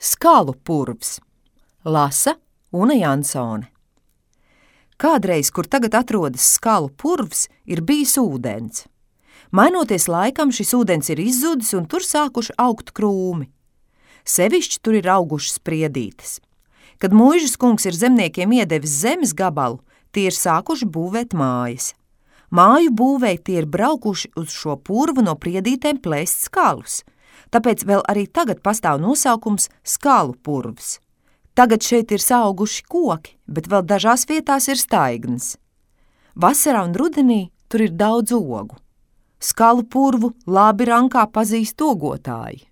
Skalu purvs. Lasa Una Jansone. Kādreiz, kur tagad atrodas skalu purvs, ir bijis ūdens. Mainoties laikam, šis ūdens ir izzudis un tur sākuši augt krūmi. Sevišķi tur ir augušas spriedītes. Kad Muižas kungs ir zemniekiem iedevis zemes gabalu, tie ir sākuši būvēt mājas. Māju būvēji tie ir braukuši uz šo purvu no priedītēm plēst skalus. Tāpēc vēl arī tagad pastāv nosaukums skalu purvs. Tagad šeit ir saauguši koki, bet vēl dažās vietās ir staignas. Vasarā un rudenī tur ir daudz ogu. Skalu purvu labi rankā pazīst ogotāji.